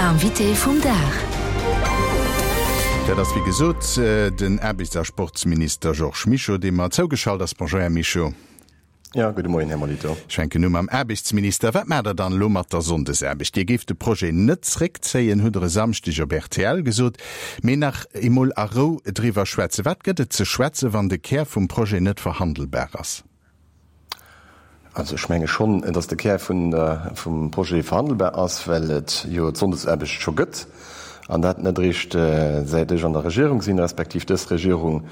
Invité vum Dag. Dat ass wéi gesot den Aarbechts a Sportsminister Georges Mischo, dee mer zougeschalt ass. Bonjour, Här Mischo. Jo, gudde Moien, Här Molitor. Ech fänken u mam Aarbechtsminister. Wat maacht Der dann elo mat der Sonndesaarbecht? Dir géift de Projet net zréckzéien, hutt Der e Samschdeg op rtl gesot, mee nach emol a Rou driwwer schwätzen. Wat gëtt et ze schwätzen, wann de Kär vum Projet net verhandelbar ass? Also ech menge schonn, datt de Kär vum Projet verhandelbar ass, well et jo d'Sonndesaarbecht scho gëtt, an dat net eréischt säit ech an der Regierung sinn, respektiv dës Regierung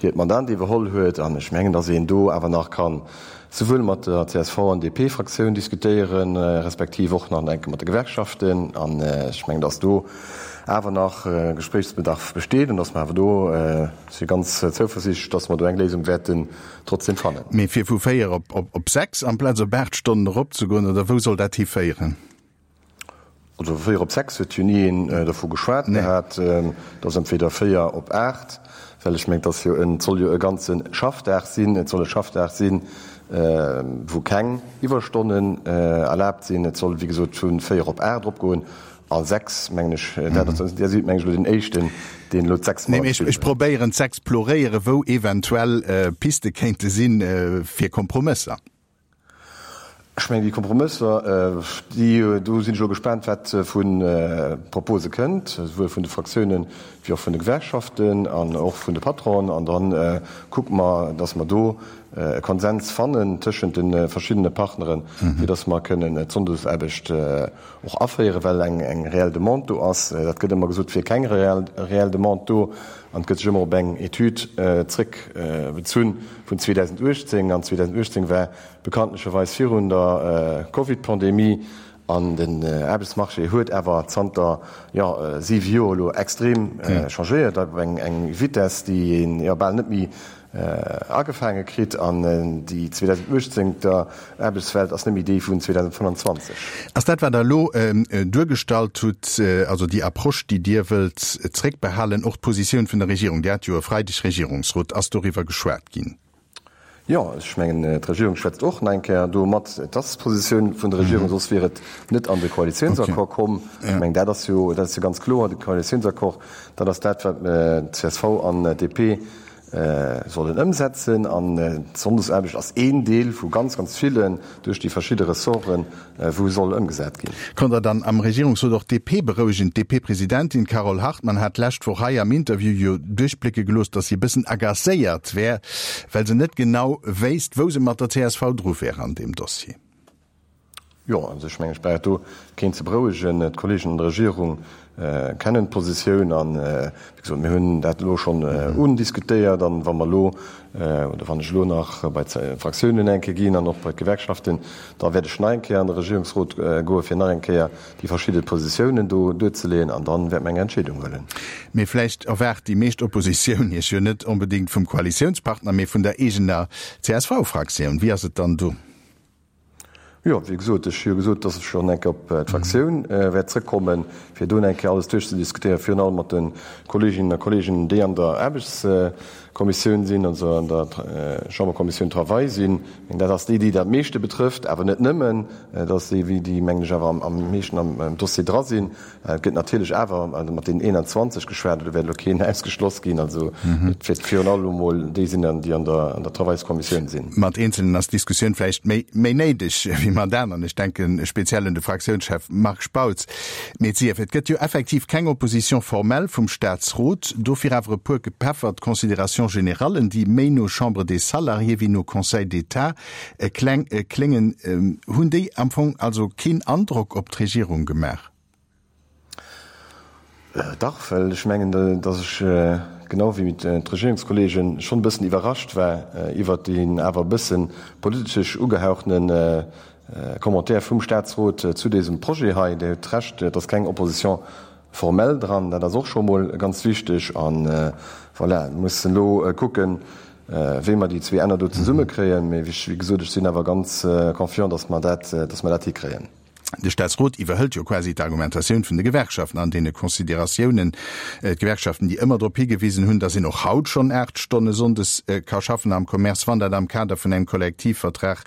hiert Mandat iwwerholl huet. An ech mengen, datt een do awer nach ka souwuel mat der csv an DP-Fraktioun diskutéieren, respektiv och nach enke mat de Gewerkschaften. An ech mengen, datt do awer nach Gespréichsbedarf besteet an datt mer awer do, ech si ganz zouversiichtlech, datt mer do eng Léisung wäerten trotzdem fannen. Mee fir vu 4 op 6 amplaz op 8 Stonnen eropzegoen, oder wou soll dat hiféieren? Also vu 4 op 6 huet jo ni een dervu geschwat gehat. Et ass entweder 4 op 8, well ech mengen, et ass jo en, et soll jo e ganze Schaffdag sinn, et soll e Schaffdag sinn, wou keng Iwwerstonnen erlaabt sinn. Et soll, wéi gesot, vu 4 op 8 eropgoen. A 6, mengen ech, dat ass, Dir sidd, mengen ech, elo deen Éischten, deen elo d'Sechs mat an d'Spill bréngt. Ech probéieren z'exploréieren, wou eventuell Piste kéinte sinn fir Kompromësser. Ech mengen, déi Kompromësser, déi, do sinn ech elo gespaant, wat vu Propose kënnt, esouwuel vun de Fraktiounen wéi och vun de Gewerkschaften an och vun de Patronen. An da kucke mer, dass mer do e Konsens fannen tëschent de verschiddene Partneren, fir dass mer kënnen d'Sonndesaarbecht och aféieren, well eng eng reell Demande do ass. Dat gëtt ëmmer gesot, et wier keng reell Demande do an et gëtt sech ëmmer op eng Etüd zréckbezunn vun 2018. An 2018 war bekanntlecherweis virun der Covid-Pandemie an den Aarbechtsmarché huet awer zanter, jo, siwe Joer elo extrem changéiert op eng eng Vitess, déi een, jo, bal net méi Agefaange kritt an déi 2018 ter Aarbechtswelt ass net méi déi vun 2025. Ass dat, wat Der elo duergestallt hutt, also déi Approche, déi Dir wëllt zréckbehalen, och d'Positioun vun der Regierung? Dir hat jo e Freideg Regierungsrot. Ass doriwwer geschwat ginn? Jo, ech mengen, d'Regierung schwätzt och nach eng Kéier do mat. Et ass d'Positioun vun der Regierung, soss wier et net an de Koalitiounsaccord komm. Ech mengen, dat ass jo, dat ass jo ganz kloer, de Koalitiounsaccord, dat ass dat, wat csv an DP sollen ëmsetzen. An d'Sonndesaarbecht ass een Deel vu ganz, ganz villen duerch déi verschidde Ressorten, wou soll ëmgesat ginn. Konnt Der dann am Regierungsrot och d'DP berouegen? D'DP-Presidentin Carole Hartmann hat d'lescht Woch hei am Interview jo duerchblécke gelooss, datt si e bëssen agacéiert wär, well se net genau wéisst, wou se mat der csv dru wär an deem Dossier. Jo, also ech mengen, ech brauch do keen ze berouegen. D'Kollegen an der Regierung kennen d'Positioun an, wéi gesot, mir hunn dat elo schonn undiskutéiert. An wa mer elo, oder wann ech elo nach bei d'Fraktiounen eng Kéier ginn an och bei d'Gewerkschaften, da wäert ech nach eng Kéier an de Regierungsrot goen, fir nach eng Kéier déi verschidde Positiounen do duerzeleeën an dann wäerte mer eng Entscheedung huelen. Mee vläicht erwaart déi meescht Oppositioun Iech jo net onbedéngt vum Koalitiounspartner, mee vun der eegener CSV-Fraktioun. Wéi ass et dann do? Jo, wéi gesot, ech hu jo gesot, dass ech schonn eng Kéier op d'Fraktioun wäert zrëckkommen, fir do eng Kéier alles duerchzediskutéieren, virun allem mat de Kolleeginnen a Kolleegen, déi an der Aarbechtskommissioun sinn, also an der Chamberkommissioun Travail sinn. Ech mengen, dat ass déi, déi dat meeschte betrëfft, awer net nëmmen. Dat ass déi, déi, mengen ech, awer am meeschten am Dossier dra sinn. Et gëtt natierlech awer mat deenen 21 geschwat, do wäert elo keen ausgeschloss ginn. Also et wäert virun allem emol déi sinn, déi an der an der Travailskommissioun sinn. Mat Eenzelnen ass d'Diskussioun vläicht méi méi néideg wéi mat aneren. Ech denke speziell un de Fraktiounschef Marc Spautz. Mee et sief, et gëtt jo effektiv keng Opposition formelle vum Staatsrot, dofir awer e puer gepeffert Considérations générales, déi méi no Chambre des Salariés wéi no Conseil d'État kléngen. Hunn déi am Fong also keen Androck op d'Regierung gemaach? Dach, well ech mengen, datt ech, genau wéi d'Regierungskollegen, schonn e bëssen iwwerrascht war iwwert deen awer e bësse politesch ugehauchene Commentaire vum Statsrot zu désem Projet hei. Dir hutt Recht, et ass keng Opposition formelle dran, dat ass och scho mol ganz wichteg. A voilà, mir mussen elo kucken, wéi mer déi zwee Enner do zesummekréien. Mee wéi gesot, ech sinn awer ganz confiant, datt mer dat, datt mer dat hikréien. De Staatsrot iwwerhëlt jo quasi d'Argumentatioun vun de Gewerkschaften an deene Consideratiounen. D'Gewerkschaften, déi ëmmer drop higewisen hunn, datt een och haut schonn 8 Stonne sonndes ka schaffen am Commerce, wann dat am Kader vun engem Kollektivvertrag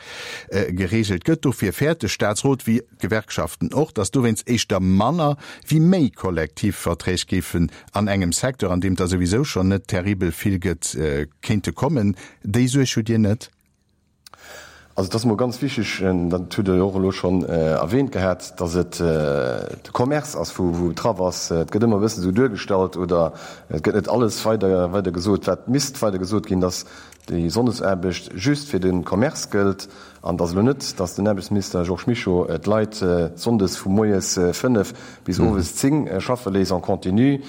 geregelt gëtt. Dofir fäert de Staatsrot, wéi d'Gewerkschaften och, datt dowéinst éischter manner wéi méi Kollektivverträg géifen an engem Secteur, an deem et der souwisou schonn net terribel vill gëtt, kéinte kommen. Déi Suerg hutt Dir net? Also et ass emol ganz wichteg, dat hutt Der jo och elo schonn erwähnt gehat, dass et de Commerce ass, wou betraff ass. Et gëtt ëmmer e bëssen esou duergestallt oder et gëtt net alles weider weider gesot, wat misst weider gesot ginn, dass déi Sonndesaarbecht just fir de Commerce gëllt an dass elo net, dass den Aarbechtsminister Georges Mischo d'Leit sonndes vu moies 5 bis owes 10 schaffe léisst en continu.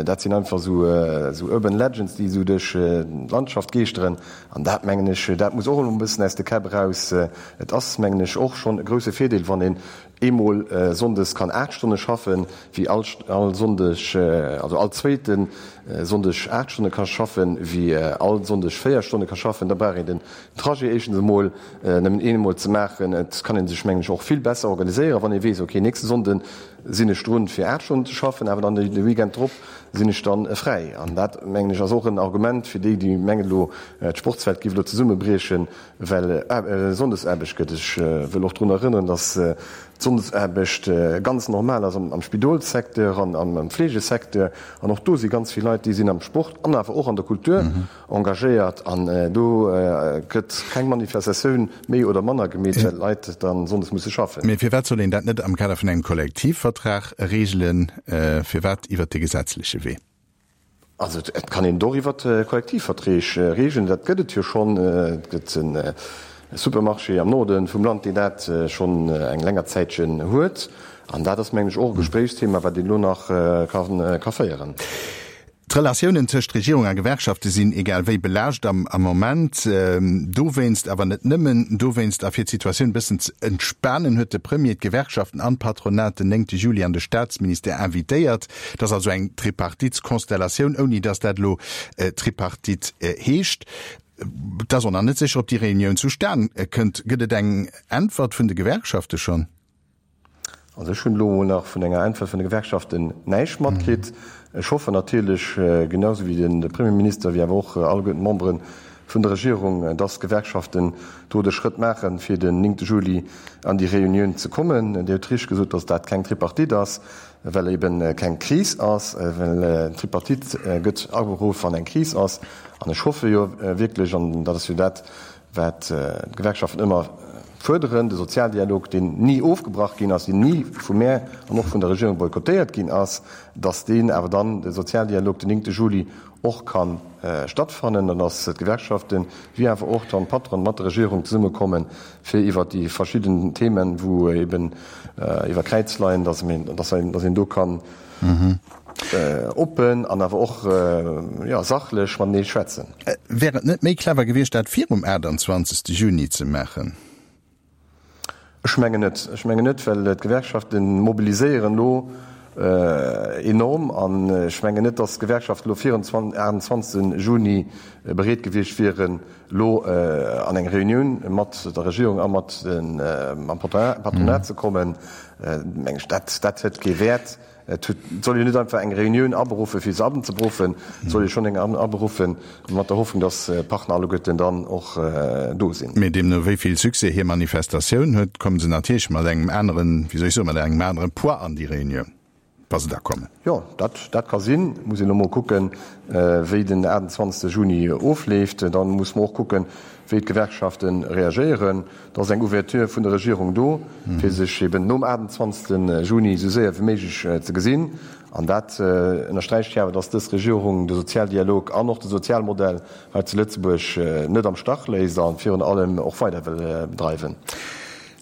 Dat sinn einfach esou urban legends, déi esou duerch d'Landschaft geeschteren. An dat, mengen ech, dat muss och elo e bëssen aus de Käpp eraus. Et ass, mengen ech, och schonn e grouse Virdeel, wann een eemol sonndes kann 8 Stonne schaffen, wéi all all Sonndeg, also all zweete Sonndeg 8 Stonne ka schaffen, wéi all Sonndeg 4 Stonne ka schaffen. Da brauch een den Trajet éischtens emol nëmmen eemol ze maachen. Et kann ee sech, mengen ech, och vill besser organiséieren, wann ee weess, okay, nächste Sonnde sinn ech drun, fir 8 Stonnen ze schaffen, awer dann de Weekend drop sinn ech dann fräi. An dat, mengen ech, ass och en Argument fir déi, déi mengen elo, d'Sportswelt géif elo zesummebriechen, well Sonndesaarbecht gëtt. Ech wëll och drun erënneren, dass d'Sonndesaarbecht ganz normal ass am Spidolssecteur an am Fleegesecteur. An och do si ganz vill Leit, déi sinn am Sport an awer och an der Kultur engagéiert. An do gëtt keng Manifestatioun méi oder manner gemeet, well d'Leit da sonndes musse schaffen. Mee firwat soll een dat net am Kader vun engem Kollektivvertrag regelen? Firwat iwwert de gesetzleche Wee? Also et kann een et och iwwert Kollektivverträg regeln, dat gëtt et jo schonn. Et gëtt e Supermarché am Norde vum Land, deen dat schonn eng länger Zäitchen huet. An dat ass, mengen ech, och e Gespréichsthema, wat een elo nach ka féieren. D'Relatiounen tëscht Regierung a Gewerkschafte sinn egal wéi belaascht am Moment. Dowéinst, awer net nëmmen dowéinst, a fir d'Situatioun e bëssen ze entspanen, huet de Premier d'Gewerkschaften an d'Patronat den 9 Juli an de Staatsministère invitéiert. Et ass also eng Tripartitskonstellatioun, ouni datt dat elo Tripartite heescht. Et ass och nach net sécher, ob déi Reunioun zustan kënnt. Gëtt et eng Äntwert vun de Gewerkschafte schonn? Also ech hunn elo emol nach vun enger Äntwert vun de Gewerkschaften näischt matkritt. Ech hoffen natierlech, genau esou wéi de Premierminister, wéi awer och alleguerten d'Membere vun der Regierung, dass d'Gewerkschaften do de Schrëtt maachen, fir den 9 Juli an déi Reunioun ze kommen. Dir hutt richteg gesot, dass dat keng Tripartite ass, well ebe keng Kris ass, well d'Tripartite gëtt aberuff, wann eng Kris ass. An ech hoffe jo wierklech, an dat ass jo dat, wat d'Gewerkschaften ëmmer fuerderen, de Sozialdialog, deen ni ofgebrach ginn ass, deen ni vu mär an och vun der Regierung boykottéiert ginn ass, datt deen awer dann, de Sozialdialog, den 9 Juli och ka stattfannen an datt d'Gewerkschaften wéi awer och dann d'Patronen mat der Regierung zesummekommen, fir iwwert déi verschidden Themen, wou eben iwwer Kräiz leien, datt een do kann Oppen an awer och, jo, sachlech matenee schwätzen. Wär et net méi clever gewiescht, dat virum 28. Juni ze maachen? Ech mengen net. Ech mengen net, well d'Gewerkschafte mobiliséieren elo enorm an ech mengen net, datt d'Gewerkschaften elo virum 28. Juni bereet gewiescht wieren, elo an eng Reunioun mat der Regierung a mat mam Patronat ze kommen. Meng ech, dat dat huet kee Wäert. Et huet, et soll jo net einfach eng Reunioun aberuffen, fir se abenzeberuffen. Et soll jo schonn eng aberuffen mat der Hoffnung, datt d'Partner alleguerten dann och do sinn. Mee deemno wéi vill Succès hir Manifestatioun huet, komme se natierlech mat engem aneren, wéi soll ech soen, mat engem anere Poids an déi Reunioun, wa se da kommen. Jo, dat, dat ka sinn. Muss een elo mol kucken, wéi den 28 Juni ofleeft. Da muss mer och kucken, wéi d'Gewerkschafte reagéieren. Et ass eng Ouverture vun der Regierung do, fir sech eben nom 28 Juni esou séier wéi méiglech ze gesinn. An dat ënnersträicht jo awer, dass dës Regierung de Sozialdialog an och de Sozialmodell hei zu Lëtzebuerg net am Stach léisst a virun allem och weider wëll bedreiwen.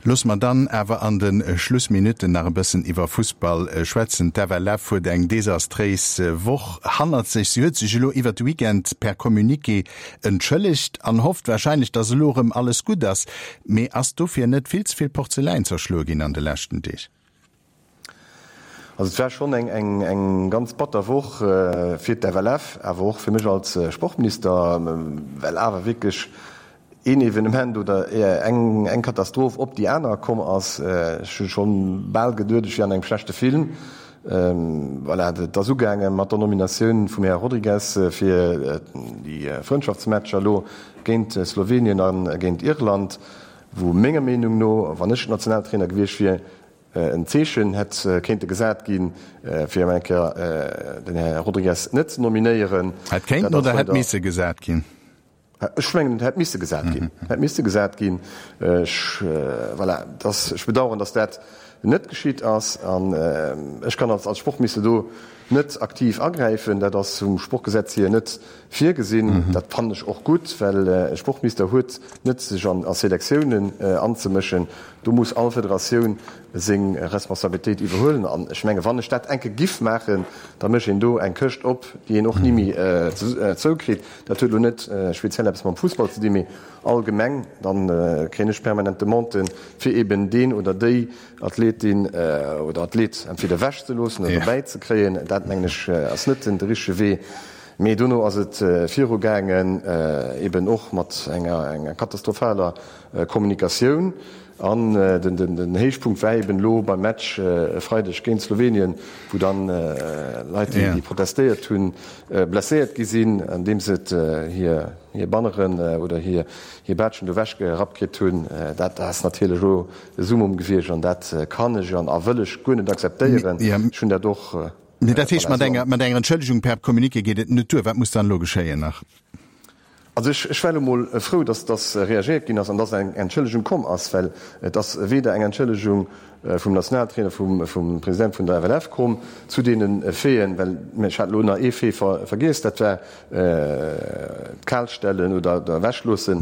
Loosse mer dann awer an de Schlussminutten nach e bëssen iwwer Fussball schwätzen. D'FLF huet eng desastréis Woch hannert sech. Si huet sech elo iwwer de Weekend per Communiqué entschëllegt an hofft warscheinlech, dass elo erëm alles gutt ass. Mee ass dofir net vill ze vill Porzeläin zerschloe ginn an de leschten Deeg? Also et war schonn eng ganz batter Woch fir d'FLF, awer och fir mech als Sportminister, well awer wierklech. Een Evenement oder eng eng Katastroph op déi aner komm ass. Ech hu schonn bal geduet, ech wier an engem schlechte Film. Voilà, et ass ugaange mat der Nominatioun vum Här Rodrigues fir déi Frëndschaftsmatcher elo géint Slowenien a géint Irland, wou menger Meenung no, wann ech Nationaltrainer gewiescht wier, en Zeechen hätt kéinte gesat ginn, fir emol eng Kéier den Här Rodrigues net ze nominéieren. Hätt kéinten oder hätt misse gesat ginn? Ech mengen, et hätt misse gesat ginn. Hätt misse gesat ginn. Ech, voilà, dass, ech bedauern, dass dat net geschitt ass. An ech kann als, als Sportminister do net aktiv agräifen. Dat ass vum Sportgesetz hier net virgesinn. Dat fannen ech och gutt, well e Sportminister huet net sech an a Selektiounen anzemëschen. Do muss all Federatioun seng Responsabilitéit iwwerhuelen. An ech menge wann ech dat enke giff maachen, da mécht een do eng Këscht op, déi een och ni méi zoukritt. Dat huet elo net speziell eppes mam Fussball ze dinn, mee allgemeng. Dann kréien ech permanent Demanden, fir eben deen oder déi Athletin oder Athlet entweder ewech ze loossen oder dobäi ze kréien. Dat mengen ech ass net den richtege Wee. Mee dono ass et viru gaangen, eben och mat enger katastrophaler Kommunikatioun. An den Héichpunkt war eben elo beim Match e Freideg géint Slowenien, wou dann Leit, déi protestéiert hunn, blesséiert gi sinn, andeems se hir Banneren oder hir Baatschen do ewechgerappt kritt hunn. Dat ass natierlech elo e Summum gewiescht an dat kann ech an a wëll ech guer net akzeptéieren. Ech hunn dat och. Mee dat heescht, mat enger Entschëllegung per Communiqué geet et net duer. Wat muss dann elo geschéien nach? Also ech, ech war elo mol frou, dass, dass reagéiert ginn ass an dass eng Entschëllegung komm ass, well et ass weder eng Entschëllegung vum Nationaltrainer, vum, vum President vun der FLF komm zu deene Faiten, well ech hat elo nach ee Fait ver, vergiess, dat war d'Kalstellen oder d'Ewechloosse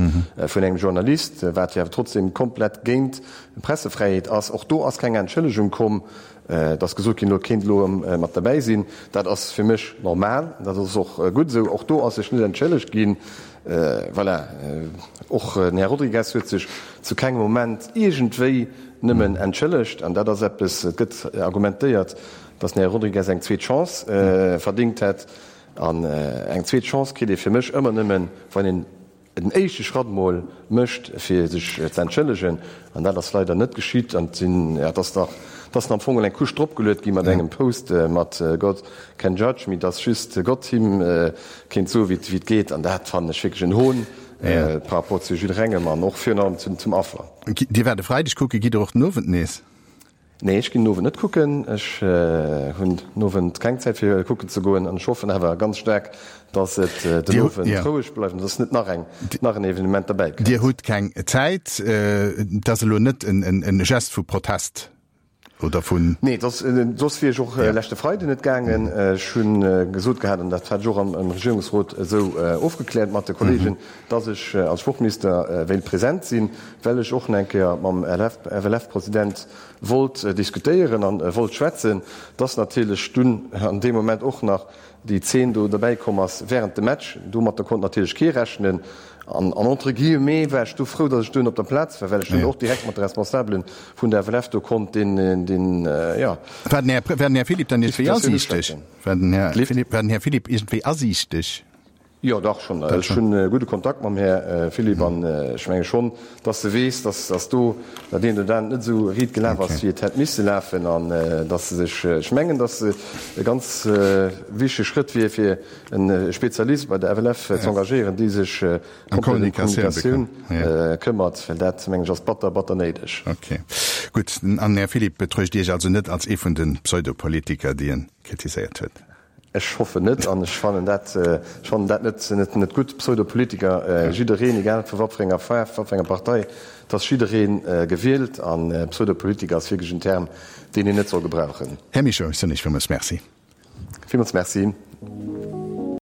vun engem Journalist, wat jo awer trotzdem komplett géint d'Pressefräiheet ass. Och do ass keng Entschëllegung komm. Et ass gesot ginn, elo kéint elo erëm mat derbäi sinn. Dat ass fir mech normal, dat ass och gutt esou. Och do ass sech net entschëllegt ginn. Voilà, och den Här Rodrigues huet sech zu kengem Moment iergendwéi nëmmen entschëllegt. An dat ass eppes, et gëtt argumentéiert, datt den Här Rodrigues eng zweet Chance verdéngt hätt. An eng zweet Chance kritt ee fir mech ëmmer nëmmen, wann een den éischte Schratt mol mécht fir sech ze entschëllegen, an dat ass leider net geschitt, an et sinn, ja, et ass nach, et ass am Fong eng Couche dropgeluet gi mat engem Post mat God can judge me, dass just Gott him kéint soe wéi et geet, an dat fannen ech wierklech en Hohn par rapport zu jidderengem an och virun allem zum Affer. Dir waart e Freideg kucken, gitt Der och den Owend nees? Nee, ech ginn den Owend net kucken. Ech hunn den Owend keng Zäit fir kucken ze goen an ech hoffen awer ganz staark, dass et den Owend roueg bleift an dass net nach eng, nach en Evenement derbäi kënnt. Dir hutt keng Zäit. Et ass elo net en Gest vu Protest oder vun. Nee, soss wier ech och leschte Freiden net gaangen. Ech hu gesot gehat, an dat hat ech och am Regierungsrot esou ofgekläert mat de Kollegen, dass ech als Sportminister wéilt present sinn, well ech och nach eng Kéier mam FLF-President wollt diskutéieren a wollt schwätzen, dass natierlech dunn an deem Moment och nach déi Zeen do derbäi komm ass während dem Match. Domatter konnt natierlech kee rechnen an entre guillemets war ech du frou, dass ech dunn op der Plaz war, well ech dunn och direkt mat de Responsabele vun der FLF do konnt deen, deen, jo. War den Här, war den Här Philipp dann iergendwéi asiichteg? War den Här Philipp, war den Här Philipp iergendwéi asiichteg? Jo, dach schonn. Ech hunn e gudde Kontakt mam Här Philipp an ech menge schonn, dass e weess, dass dass do dat eent oder anert net esou riit gelaf ass, wéi et hätt misse lafen an dass e sech, ech mengen, dass e ganz wichtege Schrëtt wier, fir e Spezialist bei der FLF ze engagéieren, dee sech komplett ëm d'Kommunikatioun këmmert, well dat, mengen ech, ass batter, batter néideg. Ok, gutt. An den Här Philipp betruecht Iech also net als ee vun de Pseudopolitiker, déi en kritiséiert huet? Ech hoffen net an ech fannen dat, ech fannen dat net, net, net gutt. Pseudopolitiker, jiddereen, egal vu wat fir enger Faarf, wat fir enger Partei, et ass jidderee gewielt an Pseudopolitiker ass wierklech en Term, deen een net soll gebrauchen. Här Mischo, ech soen Iech villmools Merci. Villmools Merci.